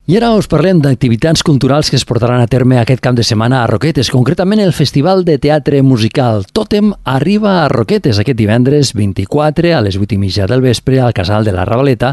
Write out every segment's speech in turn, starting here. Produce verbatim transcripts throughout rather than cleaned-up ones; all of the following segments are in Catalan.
I ara us parlem d'activitats culturals que es portaran a terme aquest cap de setmana a Roquetes. Concretament, el Festival de Teatre Musical Tòtem arriba a Roquetes aquest divendres vint-i-quatre a les vuit i mitja del vespre al Casal de la Ravaleta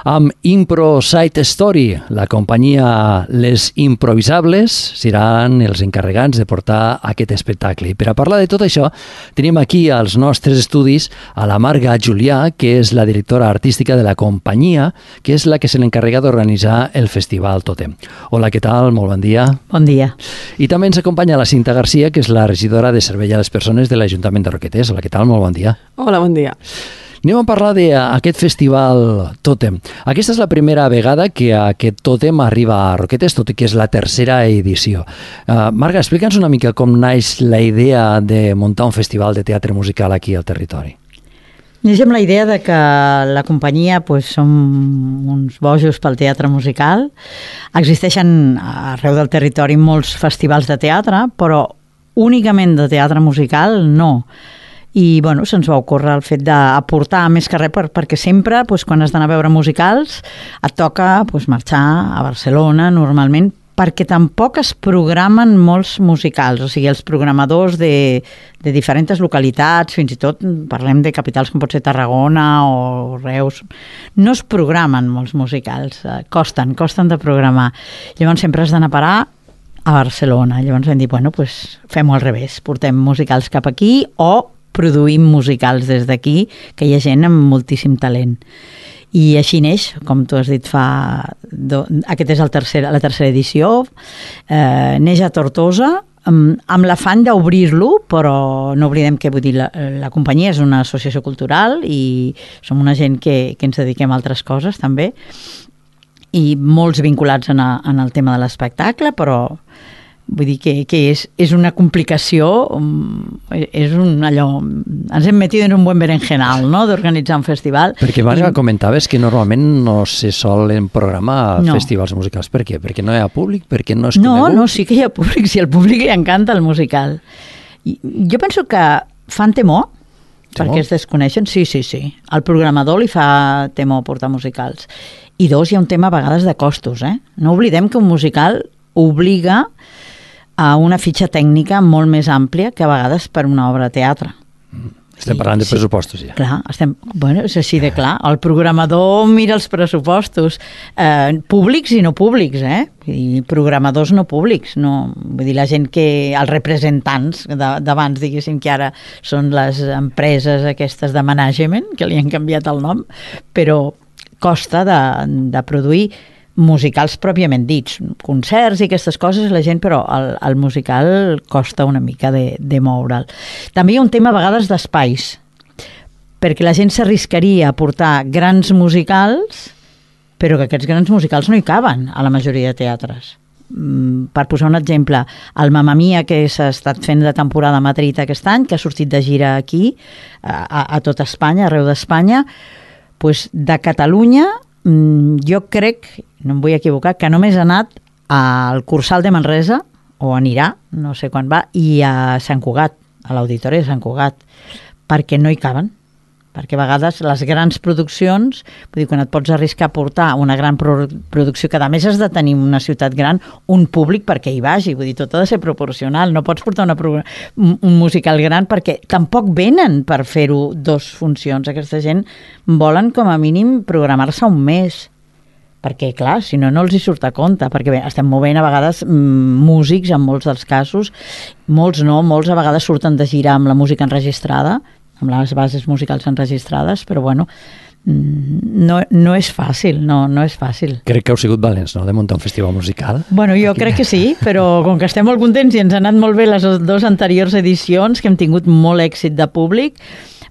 amb Impro Side Story. La companyia Les Improvisables seran els encarregats de portar aquest espectacle. I per a parlar de tot això, tenim aquí als nostres estudis a la Marga Julià, que és la directora artística de la companyia, que és la que se l'encarrega d'organitzar el festival. Festival Tòtem. Hola, què tal? Molt bon dia. Bon dia. I també ens acompanya la Cinta Garcia, que és la regidora de Servei a les Persones de l'Ajuntament de Roquetes. Hola, què tal? Molt bon dia. Hola, bon dia. Anem a parlar d'aquest festival Tòtem. Aquesta és la primera vegada que aquest Tòtem arriba a Roquetes, tot i que és la tercera edició. Uh, Marga, explica'ns una mica com naix la idea de muntar un festival de teatre musical aquí al territori. Neix amb la idea de que la companyia pues, som uns bojos pel teatre musical. Existeixen arreu del territori molts festivals de teatre, però únicament de teatre musical no. I bueno, se'ns va ocórrer el fet d'aportar més que res per, perquè sempre, pues, quan has d'anar a veure musicals, et toca pues, marxar a Barcelona normalment, perquè tampoc es programen molts musicals, o sigui, els programadors de, de diferents localitats, fins i tot parlem de capitals com pot ser Tarragona o Reus, no es programen molts musicals, costen, costen de programar. Llavors sempre has d'anar a parar a Barcelona. Llavors vam dir, bueno, pues fem-ho al revés, portem musicals cap aquí o produïm musicals des d'aquí, que hi ha gent amb moltíssim talent. I així neix, com tu has dit fa... Do, aquest és el tercer, la tercera edició, eh, neix a Tortosa, amb, amb l'afany d'obrir-lo, però no oblidem que vull dir, la, la companyia és una associació cultural i som una gent que, que ens dediquem a altres coses també, i molts vinculats en, a, en el tema de l'espectacle, però vull dir que, que és, és una complicació, és un allò... Ens hem metido en un buen berenjenal, no?, d'organitzar un festival. Perquè, Marga, I... comentaves que normalment no se solen programar no. festivals musicals. Per què? Perquè no hi ha públic? Perquè no és no, conegut? No, sí que hi ha públic, si al públic li encanta el musical. I jo penso que fan temor, temor, perquè es desconeixen. Sí, sí, sí. Al programador li fa temor portar musicals. I dos, hi ha un tema a vegades de costos, eh? No oblidem que un musical obliga a una fitxa tècnica molt més àmplia que a vegades per una obra de teatre. Estem parlant de pressupostos, ja. Clar, estem, bueno, és així de clar. El programador mira els pressupostos, eh, públics i no públics, eh? I programadors no públics, no, vull dir, la gent que, els representants d'abans, diguéssim, que ara són les empreses aquestes de management, que li han canviat el nom, però costa de, de produir musicals pròpiament dits, concerts i aquestes coses, la gent, però el, el musical costa una mica de, de moure'l. També hi ha un tema a vegades d'espais, perquè la gent s'arriscaria a portar grans musicals, però que aquests grans musicals no hi caben a la majoria de teatres. Mm, per posar un exemple, el Mamma Mia, que s'ha estat fent de temporada a Madrid aquest any, que ha sortit de gira aquí, a, a tot Espanya, arreu d'Espanya, pues de Catalunya, jo crec, no em vull equivocar, que només ha anat al Cursal de Manresa, o anirà, no sé quan va, i a Sant Cugat, a l'Auditori de Sant Cugat, perquè no hi caben. Perquè a vegades les grans produccions, vull dir, quan et pots arriscar a portar una gran pro- producció, que a més has de tenir una ciutat gran, un públic perquè hi vagi, vull dir, tot ha de ser proporcional, no pots portar una pro- un musical gran perquè tampoc venen per fer-ho dos funcions. Aquesta gent volen com a mínim programar-se un mes, perquè clar, si no, no els hi surt a compte, perquè bé, estem movent a vegades mm, músics en molts dels casos, molts no, molts a vegades surten de gira amb la música enregistrada, amb les bases musicals enregistrades, però bueno, no, no és fàcil, no, no és fàcil. Crec que heu sigut valents, no?, de muntar un festival musical. Bueno, jo Aquí. crec que sí, però com que estem molt contents i ens han anat molt bé les dues anteriors edicions, que hem tingut molt èxit de públic,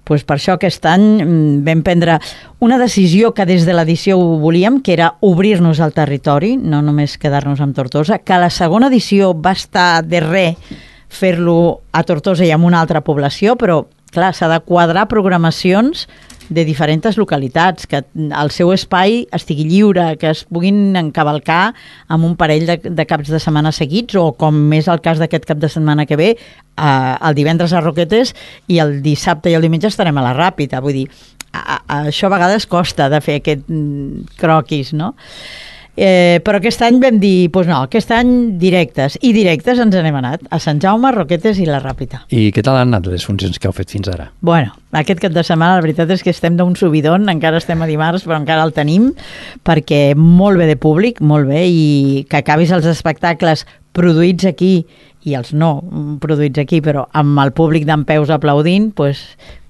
doncs per això aquest any vam prendre una decisió que des de l'edició ho volíem, que era obrir-nos al territori, no només quedar-nos amb Tortosa, que la segona edició va estar de res fer-lo a Tortosa i en una altra població, però clar, s'ha de quadrar programacions de diferents localitats, que el seu espai estigui lliure, que es puguin encavalcar amb un parell de, de caps de setmana seguits, o com és el cas d'aquest cap de setmana que ve, eh, el divendres a Roquetes i el dissabte i el diumenge estarem a la Ràpita. Vull dir, a, a, això a vegades costa de fer aquest croquis, no? Eh, però aquest any vam dir, doncs no, aquest any directes, i directes ens n'hem anat, a Sant Jaume, Roquetes i la Ràpita. I què tal han anat les funcions que heu fet fins ara? Bueno, aquest cap de setmana la veritat és que estem d'un subidon, encara estem a dimarts, però encara el tenim, perquè molt bé de públic, molt bé, i que acabis els espectacles produïts aquí i els no produïts aquí, però amb el públic d'en peus aplaudint, pues,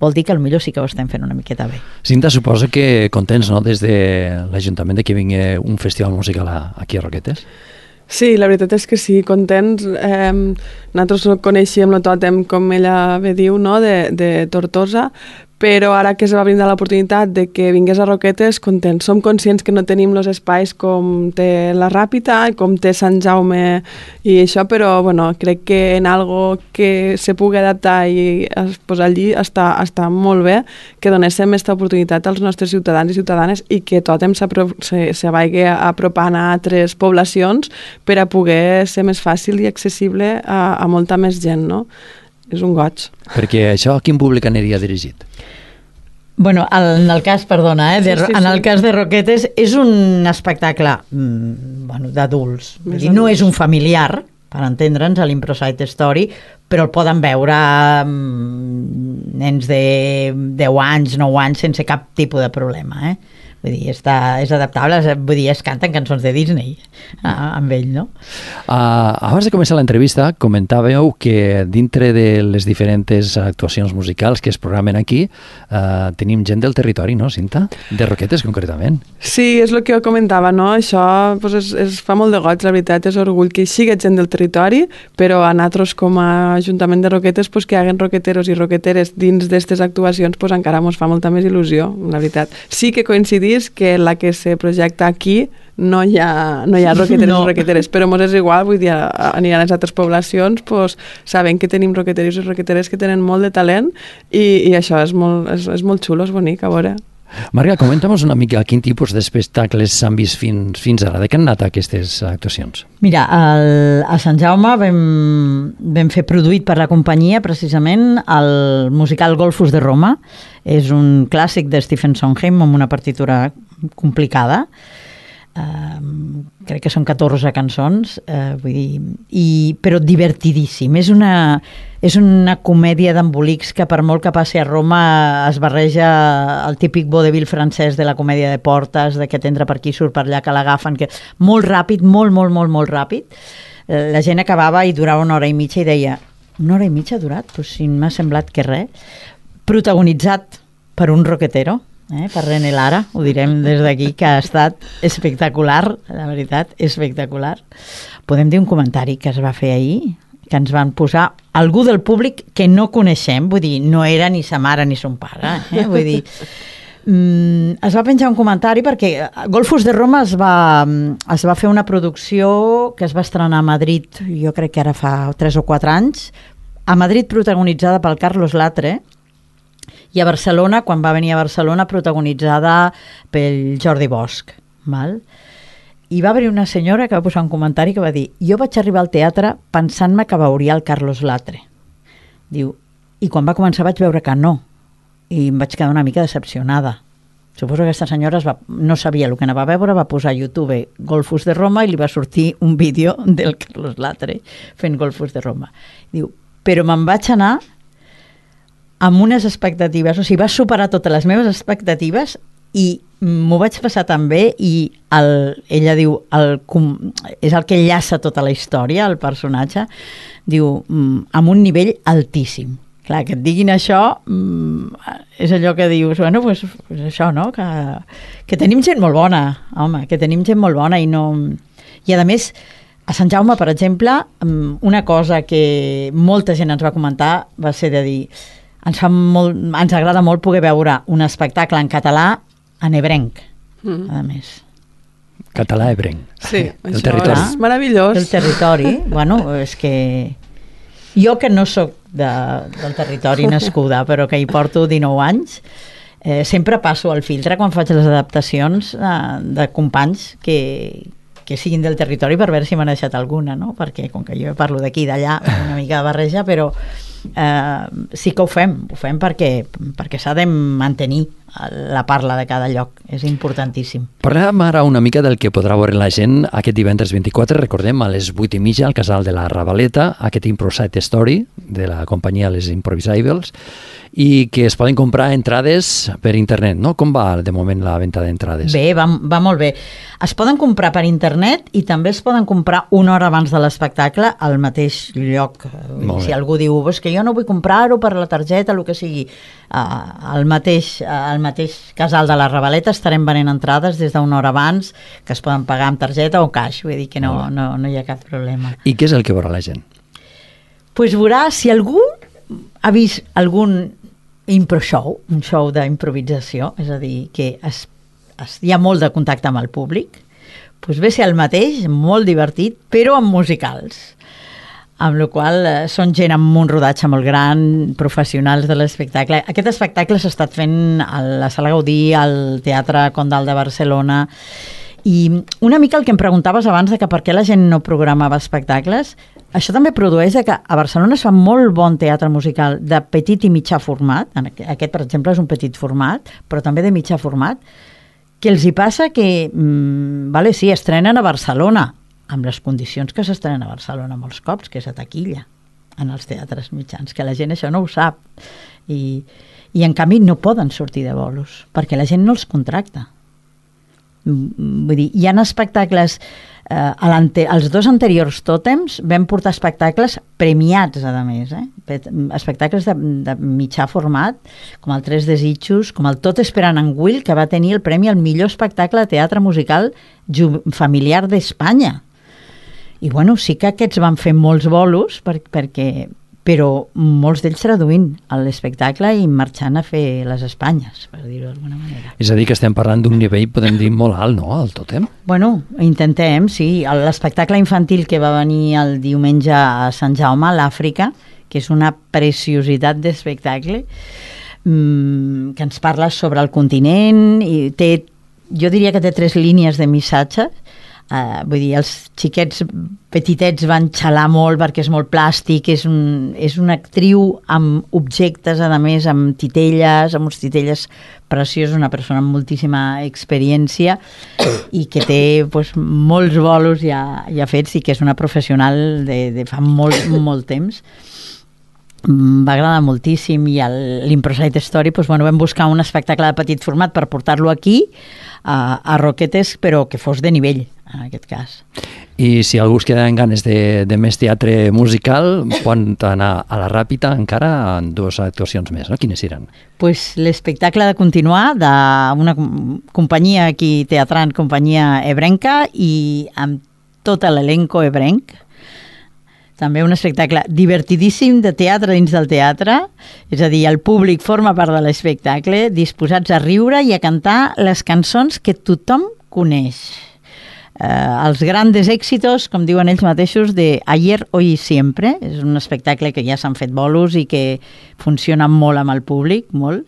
vol dir que potser sí que ho estem fent una miqueta bé. Cinta, suposo que contents, no?, des de l'Ajuntament de que vingui un festival musical aquí a Roquetes? Sí, la veritat és que sí, contents. Eh, nosaltres coneixíem el tòtem, com ella bé diu, no?, de, de Tortosa, però ara que es va brindar l'oportunitat de que vingués a Roquetes, contents. Som conscients que no tenim els espais com té la Ràpita, com té Sant Jaume i això, però bueno, crec que en algo que se pugui adaptar i posar allí està, està molt bé que donéssim aquesta oportunitat als nostres ciutadans i ciutadanes i que Tòtem se, se vagi apropant a altres poblacions per a poder ser més fàcil i accessible a, a molta més gent, no? És un goig. Perquè això a quin públic aniria dirigit? Bueno, en el cas, perdona, eh, de, sí, sí, en el cas de Roquetes és un espectacle mm, bueno, d'adults. No és un familiar, per entendre'ns, a l'Improsite Story, però el poden veure mm, nens de deu anys, nou anys, sense cap tipus de problema, eh? Vull dir, està, és adaptable, vull dir, es canten cançons de Disney ah, amb ell, no? Uh, abans de començar l'entrevista comentàveu que dintre de les diferents actuacions musicals que es programen aquí uh, tenim gent del territori, no, Cinta? De Roquetes, concretament. Sí, és el que jo comentava, no? Això pues, es, es fa molt de goig, la veritat, és orgull que hi sigui gent del territori, però a nosaltres com a Ajuntament de Roquetes pues, que hi haguen roqueteros i roqueteres dins d'aquestes actuacions pues, encara ens fa molta més il·lusió, la veritat. Sí que coincidir que la que se projecta aquí no hi ha, no hi ha roqueteres no. i roqueteres, però mos és igual, vull dir, aniran a les altres poblacions, pues, sabent que tenim roqueteros i roqueteres que tenen molt de talent i, i això és molt, és, és molt xulo, és bonic, a veure. Marga, comenta'm una mica quin tipus d'espectacles s'han vist fins, fins ara, de què han anat aquestes actuacions? Mira, el, a Sant Jaume vam, vam fer produït per la companyia precisament el musical Golfos de Roma. És un clàssic de Stephen Sondheim amb una partitura complicada. Uh, crec que són catorze cançons, uh, vull dir, i, però divertidíssim. És una, és una comèdia d'embolics que per molt que passi a Roma es barreja el típic vodevil francès de la comèdia de portes, de que t'entra per aquí, surt per allà, que l'agafen, que molt ràpid, molt, molt, molt, molt ràpid. Uh, la gent acabava i durava una hora i mitja i deia, una hora i mitja ha durat? Pues si m'ha semblat que res. Protagonitzat per un roquetero, Eh, per René Lara, ho direm des d'aquí, que ha estat espectacular, la veritat, espectacular. Podem dir un comentari que es va fer ahir, que ens van posar algú del públic que no coneixem, vull dir, no era ni sa mare ni son pare, eh? Vull dir, mm, es va penjar un comentari perquè Golfos de Roma es va, es va fer una producció que es va estrenar a Madrid, jo crec que ara fa tres o quatre anys, a Madrid protagonitzada pel Carlos Latre, i a Barcelona, quan va venir a Barcelona, protagonitzada pel Jordi Bosch. Val? I va haver una senyora que va posar un comentari que va dir, jo vaig arribar al teatre pensant-me que veuria el Carlos Latre. Diu, i quan va començar vaig veure que no, i em vaig quedar una mica decepcionada. Suposo que aquesta senyora es va, no sabia el que anava a veure, va posar a YouTube Golfos de Roma i li va sortir un vídeo del Carlos Latre fent Golfos de Roma. Diu, però me'n vaig anar amb unes expectatives, o sigui, va superar totes les meves expectatives i m'ho vaig passar tan bé i el, ella diu, el, és el que enllaça tota la història, el personatge, diu, amb un nivell altíssim. Clar, que et diguin això és allò que dius, bueno, pues, pues això, no? Que, que tenim gent molt bona, home, que tenim gent molt bona i no... I a més, a Sant Jaume, per exemple, una cosa que molta gent ens va comentar va ser de dir ens, fa molt, ens agrada molt poder veure un espectacle en català en ebrenc, mm. a més. Català ebrenc. Sí, el això territori. És meravellós. El territori, bueno, és que jo que no sóc de, del territori nascuda, però que hi porto dinou anys, eh, sempre passo el filtre quan faig les adaptacions eh, de companys que, que siguin del territori per veure si m'han deixat alguna, no? Perquè com que jo parlo d'aquí i d'allà, una mica de barreja, però eh, sí que ho fem, ho fem perquè, perquè s'ha de mantenir la parla de cada lloc, és importantíssim. Parlem ara una mica del que podrà veure la gent aquest divendres vint-i-quatre, recordem, a les vuit i mitja al Casal de la Ravaleta, aquest Improvised Story de la companyia Les Improvisables, i que es poden comprar entrades per internet, no? Com va de moment la venda d'entrades? Bé, va, va molt bé. Es poden comprar per internet i també es poden comprar una hora abans de l'espectacle al mateix lloc. Si algú diu, és que jo no vull comprar-ho per la targeta, el que sigui, al mateix, al mateix Casal de la Ravaleta estarem venent entrades des d'una hora abans, que es poden pagar amb targeta o cash, vull dir que no, no, no hi ha cap problema. I què és el que veurà la gent? Doncs pues veurà, si algú ha vist algun impro show, un show d'improvisació, és a dir, que es, es, hi ha molt de contacte amb el públic, doncs ve ser el mateix, molt divertit, però amb musicals, amb la qual cosa eh, són gent amb un rodatge molt gran, professionals de l'espectacle. Aquest espectacle s'ha estat fent a la Sala Gaudí, al Teatre Condal de Barcelona, i una mica el que em preguntaves abans de que per què la gent no programava espectacles, això també produeix que a Barcelona es fa molt bon teatre musical de petit i mitjà format, aquest per exemple és un petit format, però també de mitjà format, que els hi passa que, mmm, vale, sí, estrenen a Barcelona, amb les condicions que s'estrenen a Barcelona molts cops, que és a taquilla, en els teatres mitjans, que la gent això no ho sap. I, i en canvi no poden sortir de bolos, perquè la gent no els contracta. Vull dir, hi ha espectacles, eh, els dos anteriors tòtems vam portar espectacles premiats, a més, eh? Espectacles de, de mitjà format, com el Tres Desitjos, com el Tot esperant en Will, que va tenir el premi al millor espectacle de teatre musical familiar d'Espanya. I bueno, sí que aquests van fer molts bolos, per, perquè, però molts d'ells traduint l'espectacle i marxant a fer les Espanyes, per dir-ho d'alguna manera. És a dir, que estem parlant d'un nivell, podem dir, molt alt, no?, el tòtem? Bueno, intentem, sí. L'espectacle infantil que va venir el diumenge a Sant Jaume, a l'Àfrica, que és una preciositat d'espectacle, mmm, que ens parla sobre el continent, i té, jo diria que té tres línies de missatge. Uh, vull dir, els xiquets petitets van xalar molt perquè és molt plàstic, és, un, és una actriu amb objectes, a més, amb titelles, amb uns titelles preciosos, una persona amb moltíssima experiència i que té pues, molts bolos ja, ja fets i que és una professional de, de fa molt, molt temps. Va agradar moltíssim i l'Improvised Story, pues, bueno, vam buscar un espectacle de petit format per portar-lo aquí a, a Roquetes, però que fos de nivell en aquest cas. I si algú es queda en ganes de, de més teatre musical, poden anar a la Ràpita encara en dues actuacions més, no? Quines seran? Pues l'espectacle de continuar d'una companyia aquí teatrant, companyia ebrenca, i amb tot l'elenco ebrenc. També un espectacle divertidíssim de teatre dins del teatre, és a dir, el públic forma part de l'espectacle, disposats a riure i a cantar les cançons que tothom coneix. Eh, els grandes èxitos, com diuen ells mateixos, de Ayer, Hoy y Siempre. És un espectacle que ja s'han fet bolos i que funciona molt amb el públic, molt.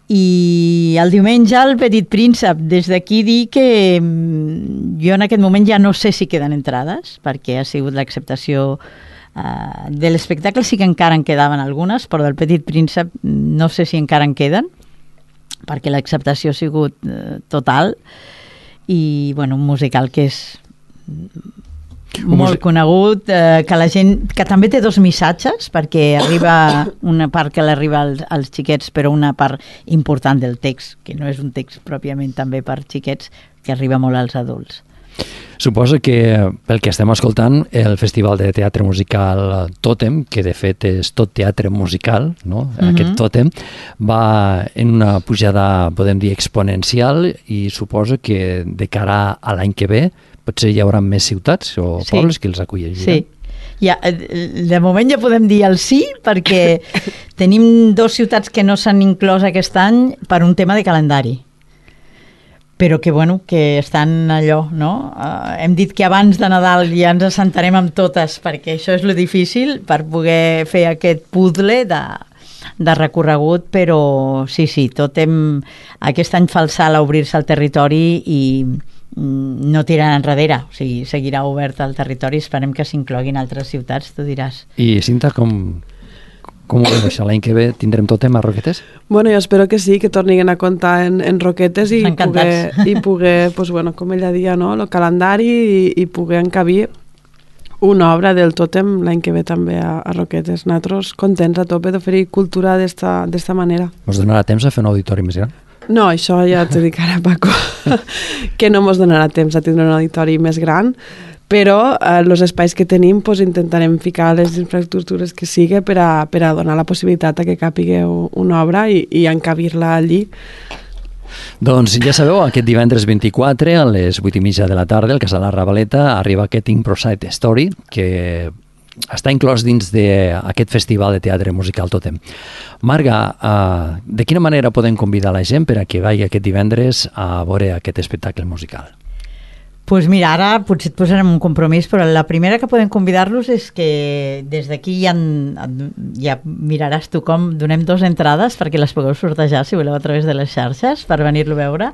I el diumenge el Petit Príncep, des d'aquí dir que jo en aquest moment ja no sé si queden entrades, perquè ha sigut l'acceptació uh, de l'espectacle, sí que encara en quedaven algunes, però del Petit Príncep no sé si encara en queden, perquè l'acceptació ha sigut uh, total, i bueno, un musical que és molt conegut, eh, que la gent, que també té dos missatges, perquè arriba una part que l'arriba als, als xiquets, però una part important del text, que no és un text pròpiament també per xiquets, que arriba molt als adults. Suposo que, pel que estem escoltant, el Festival de Teatre Musical Tòtem, que de fet és tot teatre musical, no? Mm-hmm. Aquest Tòtem, va en una pujada, podem dir, exponencial, i suposo que de cara a l'any que ve potser hi haurà més ciutats o sí. pobles que els acolliran. Sí. Ja, de moment ja podem dir el sí, perquè tenim dos ciutats que no s'han inclòs aquest any per un tema de calendari, però que, bueno, que estan allò, no? Uh, hem dit que abans de Nadal ja ens assentarem amb totes, perquè això és lo difícil, per poder fer aquest puzzle de, de recorregut, però sí, sí, tot hem... Aquest any fa el salt a obrir-se al territori i no tirarà enrere, o sigui, seguirà obert al territori, esperem que s'incloguin altres ciutats, tu diràs. I Cinta, com, Com ho veus això? L'any que ve tindrem Tòtem a Roquetes? Bueno, jo espero que sí, que tornin a comptar en, en Roquetes i poder, i poder pues, bueno, com ella dia, no? El calendari i, i poder encabir una obra del Tòtem l'any que ve també a, a Roquetes. Nosaltres contents a tope d'oferir cultura d'esta manera. Ens donarà temps a fer un auditori més gran? No, això ja t'ho dic ara, Paco, que no ens donarà temps a tindre un auditori més gran, però els eh, espais que tenim pues, intentarem ficar les infraestructures que sigui per a, per a donar la possibilitat a que capigueu una obra i, i encabir-la allí. Doncs ja sabeu, aquest divendres vint-i-quatre a les vuit i mitja de la tarda al Casal La Ravaleta arriba aquest Improsite Story que està inclòs dins d'aquest festival de teatre musical Tòtem. Marga, uh, de quina manera podem convidar la gent per a que vagi aquest divendres a veure aquest espectacle musical? Doncs pues mira, ara potser et posarem un compromís, però la primera que podem convidar-los és que des d'aquí ja, ja miraràs tu com donem dues entrades perquè les pugueu sortejar, si voleu, a través de les xarxes per venir-lo a veure,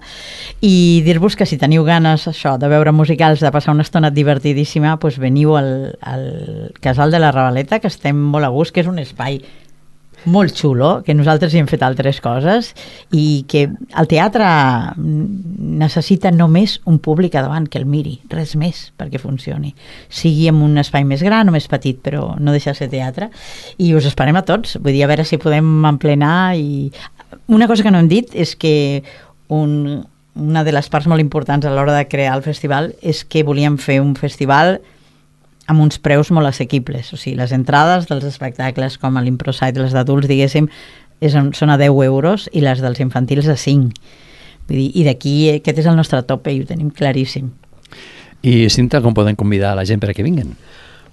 i dir-vos que si teniu ganes això de veure musicals, de passar una estona divertidíssima, doncs veniu al, al Casal de la Ravaleta, que estem molt a gust, que és un espai molt xulo, que nosaltres hi hem fet altres coses i que el teatre necessita només un públic a davant que el miri, res més perquè funcioni, sigui en un espai més gran o més petit, però no deixa de ser teatre, i us esperem a tots, vull dir, a veure si podem emplenar. I una cosa que no hem dit és que un, una de les parts molt importants a l'hora de crear el festival és que volíem fer un festival amb uns preus molt assequibles, o sigui, les entrades dels espectacles com a l'Improsite, les d'adults, diguéssim, és, són a deu euros i les dels infantils a cinc. Vull dir, i d'aquí aquest és el nostre tope i ho tenim claríssim. I Cinta, com podem convidar la gent per a que vinguen?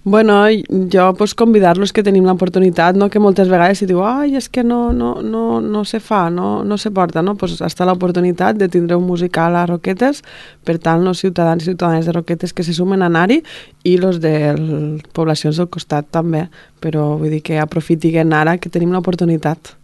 Bueno, jo pues, convidar-los que tenim l'oportunitat, no? Que moltes vegades si diu ai, és que no, no, no, no se fa, no, no se porta, no? Pues està l'oportunitat de tindre un musical a Roquetes, per tant, els ciutadans i ciutadanes de Roquetes que se sumen a anar-hi i els de les poblacions del costat també, però vull dir que aprofitiguem ara que tenim l'oportunitat.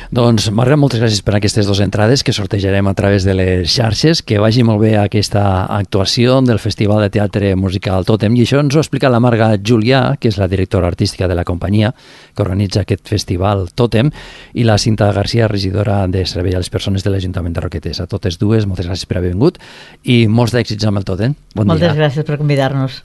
Doncs, Marga, moltes gràcies per aquestes dues entrades que sortejarem a través de les xarxes. Que vagi molt bé aquesta actuació del Festival de Teatre Musical Tòtem, i això ens ho ha explicat la Marga Julià, que és la directora artística de la companyia que organitza aquest festival Tòtem, i la Cinta García, regidora de Servei a les Persones de l'Ajuntament de Roquetes. A totes dues, moltes gràcies per haver vingut i molts d'èxits amb el Tòtem. Bon moltes dia. Gràcies per convidar-nos.